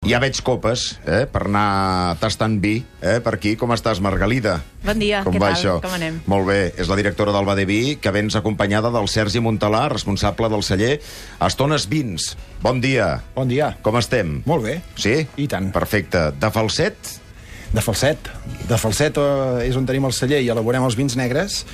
Ja veig copes, per anar tastant vi, per aquí. Com estàs, Margalida? Bon dia, com què va tal? això? Com anem? Molt bé, és la directora del Bade Vi, que vens acompanyada del Sergi Montalà, responsable del celler Estones Vins. Bon dia. Bon dia. Com estem? Molt bé. Sí? I tant. Perfecte. De Falset? De Falset. De Falset és on tenim el celler i elaborem els vins negres,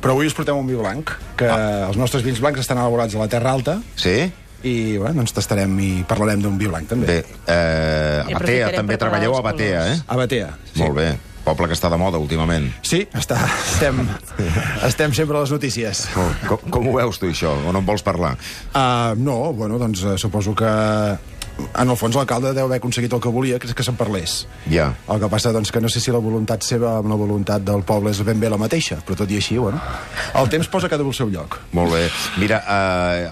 però avui us portem un vi blanc, que els nostres vins blancs estan elaborats a la Terra Alta. Sí? I, bueno, doncs tastarem i parlarem d'un vi blanc, també. Bé, a Batea, també treballeu a Batea, A Batea, sí. Molt bé. Poble que està de moda últimament. Sí, estem sempre a les notícies. Com ho veus tu, això? O no en vols parlar? No, bueno, doncs suposo que en el fons l'alcalde deu haver aconseguit el que volia, que és que se'n parlés. Ja. El que passa, doncs, que no sé si la voluntat seva amb la voluntat del poble és ben bé la mateixa, però tot i així, bueno, el temps posa cada al seu lloc. Molt bé. Mira,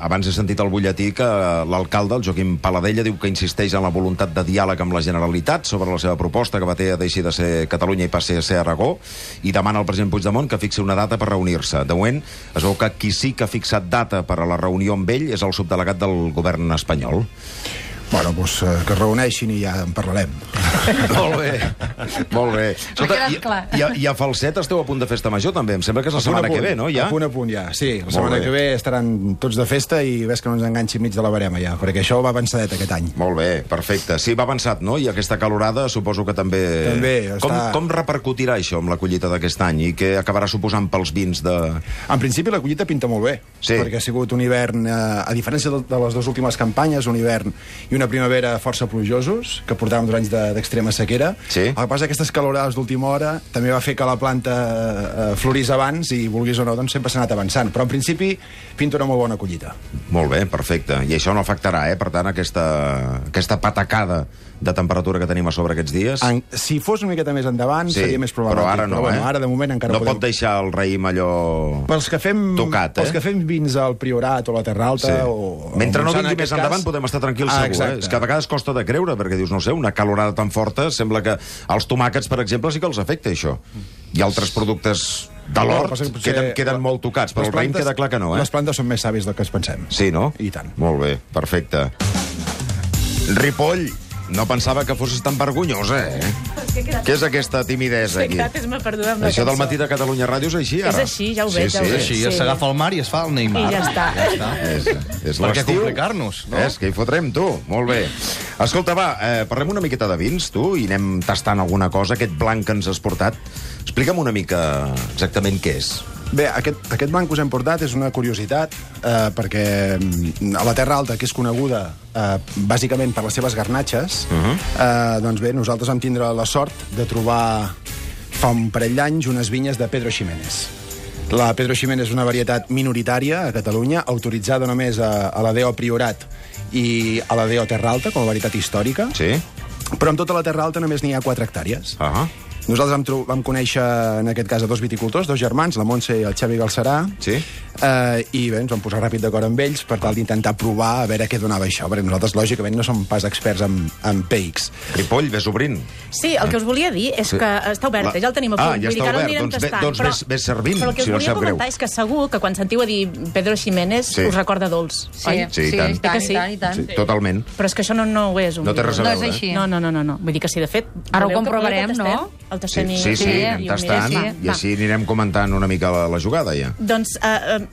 abans he sentit al butlletí que l'alcalde, el Joaquim Paladella, diu que insisteix en la voluntat de diàleg amb la Generalitat sobre la seva proposta, que Batea deixi de ser Catalunya i passi a ser Aragó, i demana al president Puigdemont que fixi una data per reunir-se. De moment, es veu que qui sí que ha fixat data per a la reunió amb ell és el subdelegat del govern espanyol. Bueno, doncs que es reuneixin i ja en parlarem. Molt bé, molt bé. I a Falset esteu a punt de festa major, també. Em sembla que és la setmana que ve, no? Ja? A punt, ja. Sí, la setmana que ve estaran tots de festa i ves que no ens enganxi mig de la barema, ja, perquè això va avançadet aquest any. Molt bé, perfecte. Sí, va avançat, no? I aquesta calorada suposo que també... També està... Com repercutirà això amb la collita d'aquest any i què acabarà suposant pels vins de... En principi la collita pinta molt bé, sí. Perquè ha sigut un hivern, a diferència de les dues últimes campanyes, un hivern i una primavera força plujosos, que portàvem 2 anys d'extrema sequera. Sí. El que passa és que aquestes calorades d'última hora també va fer que la planta florís abans i, vulguis o no, doncs sempre s'ha anat avançant. Però en principi pinta una molt bona collita. Molt bé, perfecte. I això no afectarà, per tant, aquesta patacada de temperatura que tenim a sobre aquests dies? Si fos una miqueta més endavant, sí, seria més problemàtic. Però ara no, bueno, ara de moment encara no podem... pot deixar el raïm allò tocat, Pels que fem vins al Priorat o la Terra Alta... Sí. O mentre no vingui més endavant podem estar tranquils segur, exacte. És que a vegades costa de creure, perquè dius, no sé, una calorada tan forta, sembla que als tomàquets, per exemple, sí que els afecta això. I altres productes de l'hort queden molt tocats, però el raïm queda clar que no, Les plantes són més sàvies del que es pensem. Sí, no? I tant. Molt bé, perfecte. Ripoll, no pensava que fossis tan vergonyosa, Què és aquesta timidesa aquí? M'ha perdut amb la Això del cançó. matí de Catalunya Ràdio és així, ara? És així, ja ho veig, ja ho veig. Sí, s'agafa el mar i es fa el Neymar. I ja està. És Per què l'estiu. complicar-nos, no? És que hi fotrem, tu. Molt bé. Escolta, va, parlem una miqueta de vins, tu, i anem tastant alguna cosa, aquest blanc que ens has portat. Explica'm una mica exactament què és. Bé, aquest blanc que us hem portat és una curiositat, perquè a la Terra Alta, que és coneguda bàsicament per les seves garnatxes, doncs bé, nosaltres vam tindre la sort de trobar fa un parell d'anys unes vinyes de Pedro Ximénez. La Pedro Ximénez és una varietat minoritària a Catalunya, autoritzada només a la DO Priorat i a la DO Terra Alta, com a varietat històrica, Sí? però en tota la Terra Alta només n'hi ha 4 hectàrees. Nosaltres vam conèixer, en aquest cas, a 2 viticultors, 2 germans, la Montse i el Xavi Galcerà, Sí? I bé, ens vam posar ràpid d'acord amb ells per tal d'intentar provar a veure què donava això, perquè nosaltres, lògicament, no som pas experts en PX. Ripoll, ves obrint. Sí, el que us volia dir és que està oberta, ja el tenim a punt. Ja Vull dir està que ara el obert, anirem tastant, doncs ves servint, però el que us si no volia sap greu. comentar és que segur que quan sentiu a dir Pedro Ximénez us recorda dolç, oi? Sí, i tant. I tant. Sí, totalment. Però és que això no ho és. No té res a veure. No és així. No. Vull dir que sí, de fet... Ara ho voleu que comprovarem, tastem? no? El tastem Sí, anem tastant, i així anirem comentant una mica la jugada, ja. Doncs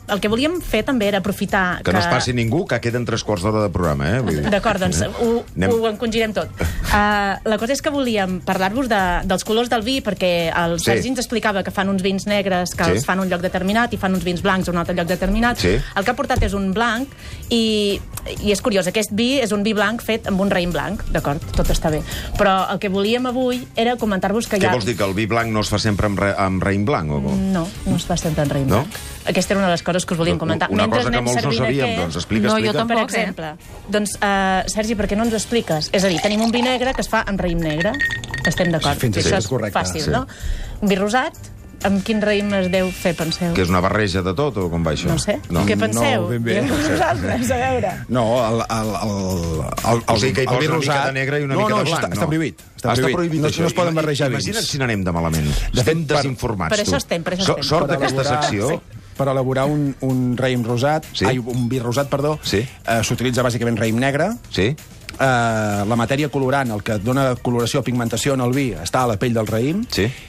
el que volíem fer també era aprofitar que no es passi ningú, que queden 3/4 d'hora de programa, D'acord, doncs ho encongirem tot. La cosa és que volíem parlar-vos dels colors del vi, perquè el Sergi ens explicava que fan uns vins negres que els fan un lloc determinat i fan uns vins blancs a un altre lloc determinat. El que ha portat és un blanc i és curiós, aquest vi és un vi blanc fet amb un raïm blanc, d'acord, tot està bé. Però el que volíem avui era comentar-vos que Què vols dir, que el vi blanc no es fa sempre amb raïm blanc? O com? No es fa sempre amb raïm blanc. Aquesta era una de les coses que us volíem comentar. Una cosa que molts no sabíem, doncs explica. No, jo tampoc, per exemple. Doncs, Sergi, per què no ens ho expliques? És a dir, tenim un vi negre que es fa amb raïm negre. Estem d'acord. Fins Això és correcte. fàcil, no? Un vi rosat, amb quin raïm es deu fer, penseu? Que és una barreja de tot, o com va això? No sé. Què penseu? No, ben bé. Vosaltres, a veure. No, O sigui que hi posa una mica de negre i una mica de blanc, no? Està prohibit. Està prohibit, això. No es poden barrejar vins. Imagina't si n'anem de malament. Estem desinformats, per això estem. Sort d'aquesta secció. Per elaborar un raïm rosat, un vi rosat, perdó, s'utilitza bàsicament raïm negre, Sí. la matèria colorant, el que dona coloració o pigmentació en el vi, està a la pell del raïm,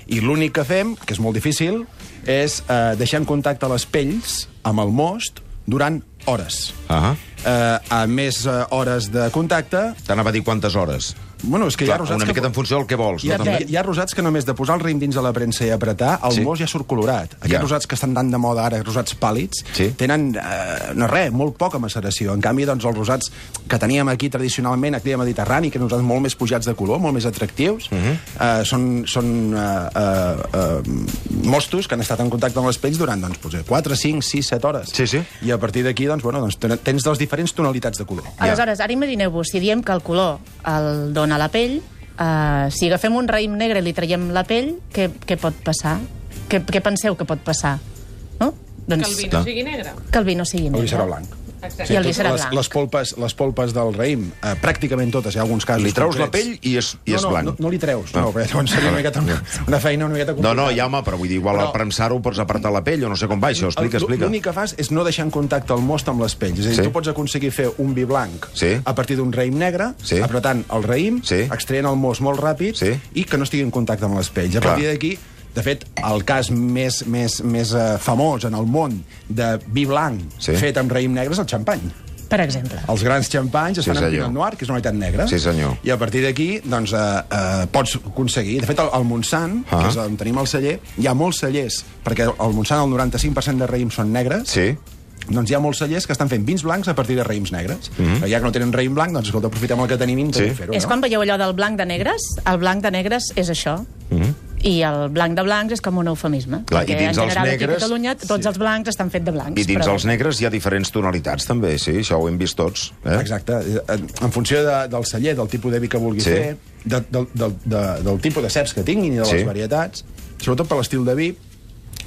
i l'únic que fem, que és molt difícil, és deixar en contacte les pells amb el most durant hores. A més hores de contacte... T'anava a dir quantes hores. Bueno, és que hi ha rosats una miqueta en funció del que vols. Hi ha rosats que només de posar el raïm dins de la premsa i apretar, el most ja surt colorat. Aquests rosats que estan tan de moda ara, rosats pàl·lids, tenen, no res, molt poca maceració. En canvi, doncs, els rosats que teníem aquí tradicionalment, aquí a Mediterrani, que nosaltres molt més pujats de color, molt més atractius, són mostos que han estat en contacte amb les pells durant 4, 5, 6, 7 hores. I a partir d'aquí, tens les diferents tonalitats de color. Aleshores, ara imagineu-vos, si diem que el color el dona a la pell, si agafem un raïm negre i li traiem la pell, què pot passar? Què penseu que pot passar? No? Que el vi no sigui negre. Que el vi no sigui negre. El vi serà blanc. I el vi serà blanc. Les polpes del raïm, pràcticament totes, hi ha alguns casos... Li treus la pell i és blanc. No li treus, perquè llavors seria una feina una miqueta complicada. No, ja, home, però vull dir, igual al premsar-ho pots apartar la pell o no sé com va això, explica. L'únic que fas és no deixar en contacte el most amb les pells. És a dir, tu pots aconseguir fer un vi blanc a partir d'un raïm negre, apretant el raïm, extraient el most molt ràpid i que no estigui en contacte amb les pells. A partir d'aquí, de fet, el cas més famós en el món de vi blanc fet amb raïm negre és el xampany. Per exemple. Els grans xampanys es fan amb Pinot Noir, que és una unitat negra. Sí, senyor. I a partir d'aquí, doncs, pots aconseguir... De fet, al Montsant, que és on tenim el celler, hi ha molts cellers, perquè al Montsant el 95% de raïms són negres, doncs hi ha molts cellers que estan fent vins blancs a partir de raïms negres. Ja que no tenen raïm blanc, doncs, escolta, aprofitem el que tenim i intentem fer-ho. És quan veieu allò del blanc de negres? El blanc de negres és això. I el blanc de blancs és com un eufemisme. Perquè en general aquí a Catalunya tots els blancs estan fets de blancs. I dins els negres hi ha diferents tonalitats, també, això ho hem vist tots. Exacte. En funció del celler, del tipus de vi que vulguis fer, del tipus de ceps que tinguin i de les varietats, sobretot per l'estil de vi,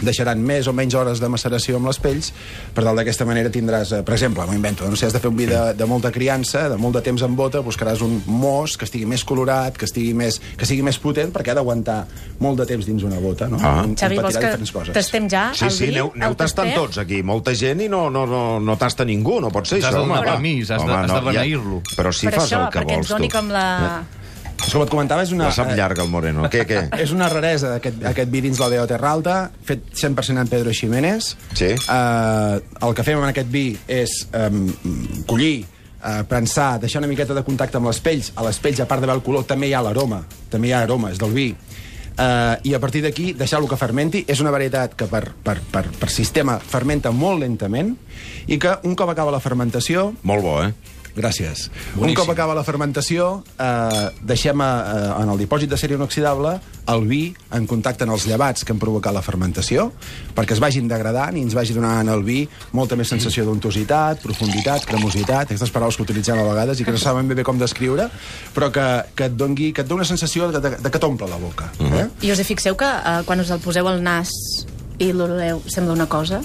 deixaran més o menys hores de maceració amb les pells, per tal d'aquesta manera tindràs, per exemple, m'ho invento, no sé, has de fer un vi de molta criança, de molt de temps en bota, buscaràs un most que estigui més colorat, que sigui més potent, perquè ha d'aguantar molt de temps dins una bota, no? Xavi, vols que tastem ja el vi? Sí, aneu tastant tots aquí, molta gent i no tasta ningú, no pot ser això. Has de donar permís, has de beneir-lo. Però si fas el que vols, tu. Perquè ens doni com la... És com et comentava, és una... La sap llarga, el Moreno. Què? És una raresa, aquest vi dins la DO Terra Alta, fet 100% en Pedro Ximénez. El que fem amb aquest vi és collir, prensar, deixar una miqueta de contacte amb les pells. A les pells, a part d'haver el color, també hi ha l'aroma. També hi ha aromes del vi. I a partir d'aquí deixar-lo que fermenti. És una varietat que per sistema fermenta molt lentament i que un cop acaba la fermentació... Molt bo, Gràcies. Un cop acaba la fermentació, deixem en el dipòsit de sèrie inoxidable el vi en contacte amb els llevats que han provocat la fermentació, perquè es vagin degradant i ens vagi donant al vi molta més sensació d'untositat, profunditat, cremositat, aquestes paraules que utilitzem a vegades i que no saben bé com descriure, però que et doni una sensació de que t'omple la boca. I us hi fixeu que quan us el poseu al nas i l'oleu sembla una cosa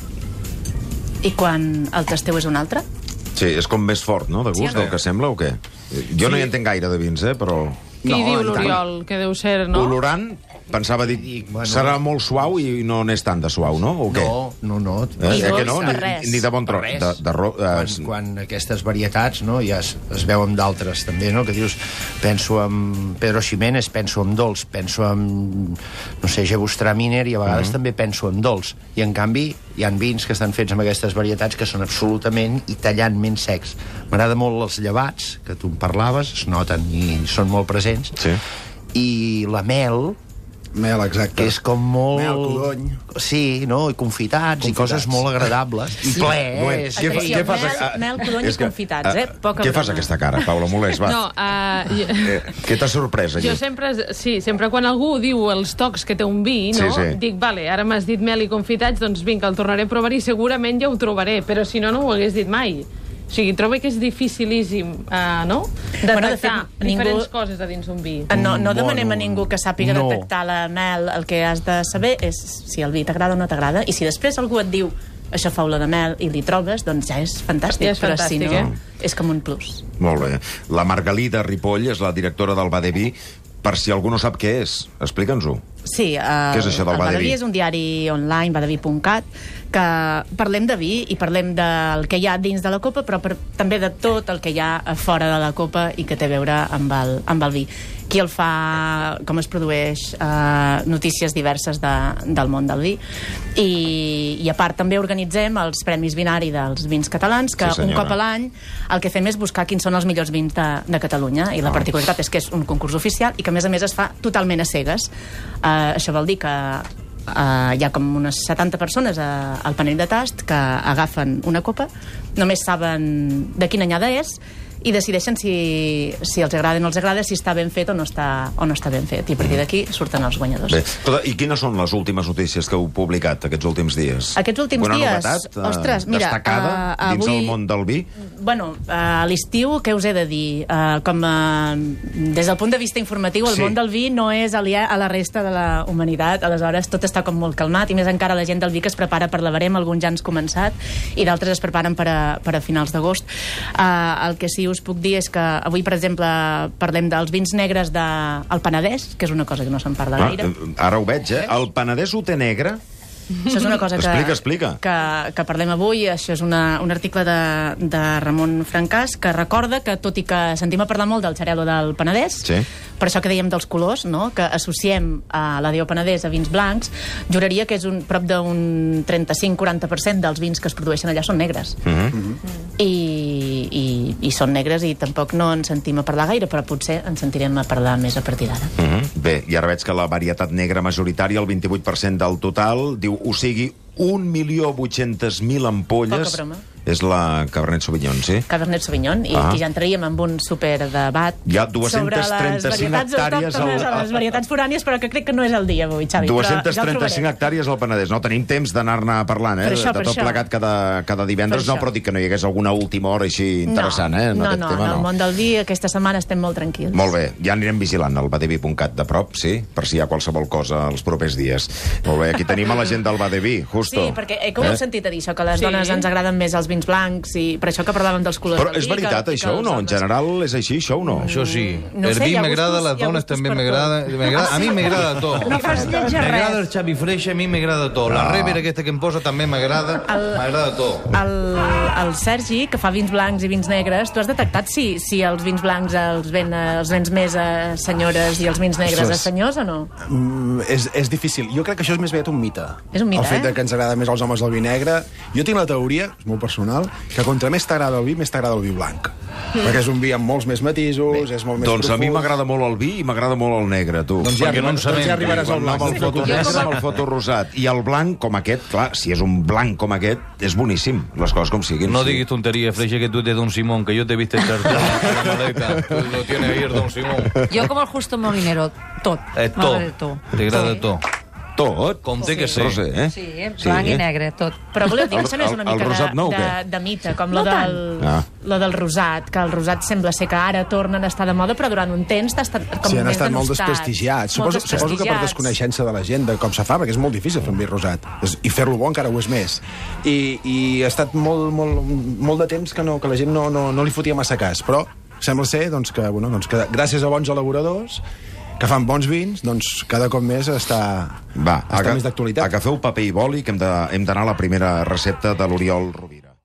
i quan el tasteu és una altra? Sí, és com més fort, no?, de gust, del que sembla, o què? Jo no hi entenc gaire de vins, però... Qui diu l'Oriol, que deu ser, no? Olorant, pensava dir, serà molt suau i no n'és tant de suau, no? O què? No. Que no? Ni de bon tros. Quan aquestes varietats, no, ja es veuen d'altres, també, no?, que dius, penso en Pedro Ximénez, penso en dolç, penso en, no sé, Gewürztraminer, i a vegades també penso en dolç. I, en canvi, hi ha vins que estan fets amb aquestes varietats que són absolutament i tallantment secs. M'agrada molt els llevats, que tu en parlaves, es noten i són molt presents, i la mel, exacte. Que és com molt... Mel, codony. Sí, no? I confitats, i coses molt agradables. I ple. Mel, codony i confitats, Què fas aquesta cara, Paula Molés? Va. Què t'ha sorprès, allí? Jo sempre quan algú diu els tocs que té un vi, no? Dic, vale, ara m'has dit mel i confitats, doncs vinga, el tornaré a provar i segurament ja ho trobaré, però si no, no ho hagués dit mai. O sigui, trobo que és dificilíssim, no?, detectar diferents coses a dins un vi. No demanem a ningú que sàpiga detectar la mel. El que has de saber és si el vi t'agrada o no t'agrada, i si després algú et diu això fa olor de mel i li trobes, doncs ja és fantàstic, però si no, és com un plus. Molt bé. La Margalida Ripoll és la directora del Bar de Vi. per si algú no sap què és, explica'ns-ho. Sí, què és això del Badeví és un diari online, badeví.cat, que parlem de vi i parlem del que hi ha dins de la copa, però també de tot el que hi ha fora de la copa i que té a veure amb el vi. Qui el fa, com es produeix, notícies diverses del món del vi. I a part també organitzem els Premis Vinari dels vins catalans, que un cop a l'any el que fem és buscar quins són els millors vins de Catalunya, i la particularitat és que és un concurs oficial i que a més es fa totalment a cegues. Això vol dir que hi ha com unes 70 persones al panell de tast que agafen una copa, només saben de quina anyada és i decideixen si els agrada o no els agrada, si està ben fet o no està ben fet. I a partir d'aquí surten els guanyadors. Bé, i quines són les últimes notícies que heu publicat aquests últims dies? Aquests últims dies? Novetat, ostres, mira, destacada dins el món del vi? Bueno, a l'estiu, què us he de dir? Des del punt de vista informatiu, el món del vi no és aliè a la resta de la humanitat. Aleshores, tot està com molt calmat, i més encara la gent del vi que es prepara per la verema, alguns ja han començat, i d'altres es preparen per a finals d'agost. El que sí us puc dir és que avui, per exemple, parlem dels vins negres del Penedès, que és una cosa que no se'n parla gaire. Ara ho veig, El Penedès ho té negre? Això és una cosa explica. Que parlem avui. Això és un article de Ramon Francàs, que recorda que, tot i que sentim a parlar molt del xarel·lo del Penedès, per això que dèiem dels colors, no? Que associem a la D.O. Penedès a vins blancs, juraria que és prop d'un 35-40% dels vins que es produeixen allà són negres. I són negres i tampoc no en sentim a parlar gaire, però potser en sentirem a parlar més a partir d'ara. Bé, i ara veig que la varietat negra majoritària, el 28% del total, diu, o sigui, 1.800.000 ampolles. Poca broma. És la Cabernet Sauvignon, sí? Cabernet Sauvignon, i aquí ja entraríem en un superdebat hi ha 235 hectàrees les varietats forànies, però que crec que no és el dia avui, Xavi. 235 hectàrees al Penedès. No tenim temps d'anar-ne parlant, de tot plegat cada divendres, però dic que no hi hagués alguna última hora així interessant, No, en el món del vi aquesta setmana estem molt tranquils. Molt bé, ja anirem vigilant el badeví.cat de prop, sí? Per si hi ha qualsevol cosa els propers dies. Molt bé, aquí tenim a la gent del Badeví, justo. Sí, perquè com heu sentit a dir això, que a les dones ens agraden més els vins blancs, i per això que parlàvem dels colors del vi. Però és veritat això o no? En general és així, això o no? Això sí. El vi m'agrada, les dones també m'agrada. A mi m'agrada tot. No fas lletja res. M'agrada el Xavi Freixa, a mi m'agrada tot. La Rever aquesta que em posa també m'agrada tot. El Sergi, que fa vins blancs i vins negres, tu has detectat si els vins blancs els vens més a senyores i els vins negres a senyors o no? És difícil. Jo crec que això és més aviat un mite. És un mite, el fet que ens agrada més als homes el vi negre. Jo tinc la teoria, és molt personal, que contra més t'agrada el vi, més t'agrada el vi blanc. Perquè és un vi amb molts més matisos, és molt més profund. Doncs a mi m'agrada molt el vi i m'agrada molt el negre, tu. Doncs ja arribaràs al blanc. Amb el foto rosat. I el blanc, com aquest, clar, si és un blanc com aquest, és boníssim, les coses com siguin. No diguis tonteria, Freixa, que tú de Don Simón, que yo te viste echar la maleta. Tú lo tienes ahí, Don Simón. Jo com el Justo Molinero, tot. Tot. T'agrada tot. Tot? Com té que ser. Sí, blanc i negre, tot. Però voleu dir que això no és una mica de mite, com lo del rosat, que el rosat sembla ser que ara tornen a estar de moda, però durant un temps han estat com han estat molt desprestigiats. Suposo que per desconeixença de la gent de com se fa, perquè és molt difícil fer un vi rosat. I fer-lo bo encara ho és més. I ha estat molt de temps que la gent no li fotia massa cas, però sembla ser que gràcies a bons elaboradors que fan bons vins, doncs cada cop més està més d'actualitat. Agafeu paper i boli, que hem d'anar a la primera recepta de l'Oriol Rubí.